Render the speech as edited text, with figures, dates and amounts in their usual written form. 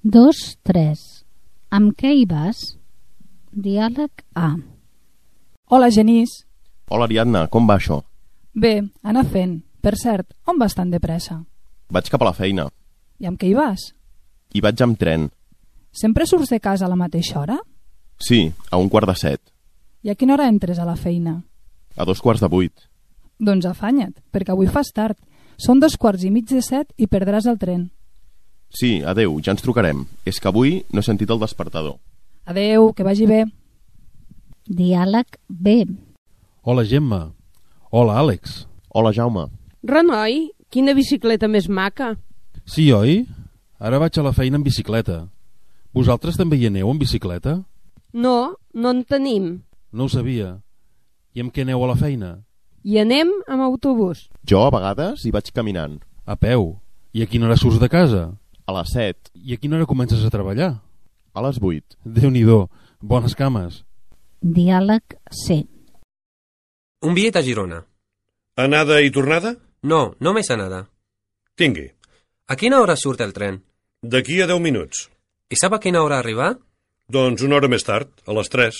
2-3. Amb què hi vas? Diàleg A. Hola, Genís. Hola, Ariadna, com va això? Bé, anar fent. Per cert, on vas tan de pressa? Vaig cap a la feina. I amb què hi vas? Hi vaig amb tren. Sempre surts de casa a la mateixa hora? Sí, a 7:15. I a quina hora entres a la feina? A 7:15. Doncs afanya't, perquè avui fas tard. Són 7:15 i perdràs el tren. Sí, adeu, ja ens trucarem. És que avui no he sentit el despertador. Adeu, que vagi bé. Diàleg B. Hola, Gemma. Hola, Àlex. Hola, Jaume. Renoi, quina bicicleta més maca. Sí, oi? Ara vaig a la feina en bicicleta. Vosaltres també hi aneu en bicicleta? No, no en tenim. No ho sabia. I amb què aneu a la feina? Hi anem amb autobús. Jo, a vegades, hi vaig caminant. A peu. I a quina hora surts de casa? A les 7. I a quina hora comences a treballar? A les 8. Déu-n'hi-do. Bones cames. Diàleg C. Un bitllet a Girona. Anada i tornada? No, només anada. Tingui. A quina hora surt el tren? D'aquí a 10 minuts. I sap a quina hora arribar? Doncs una hora més tard, a les 3.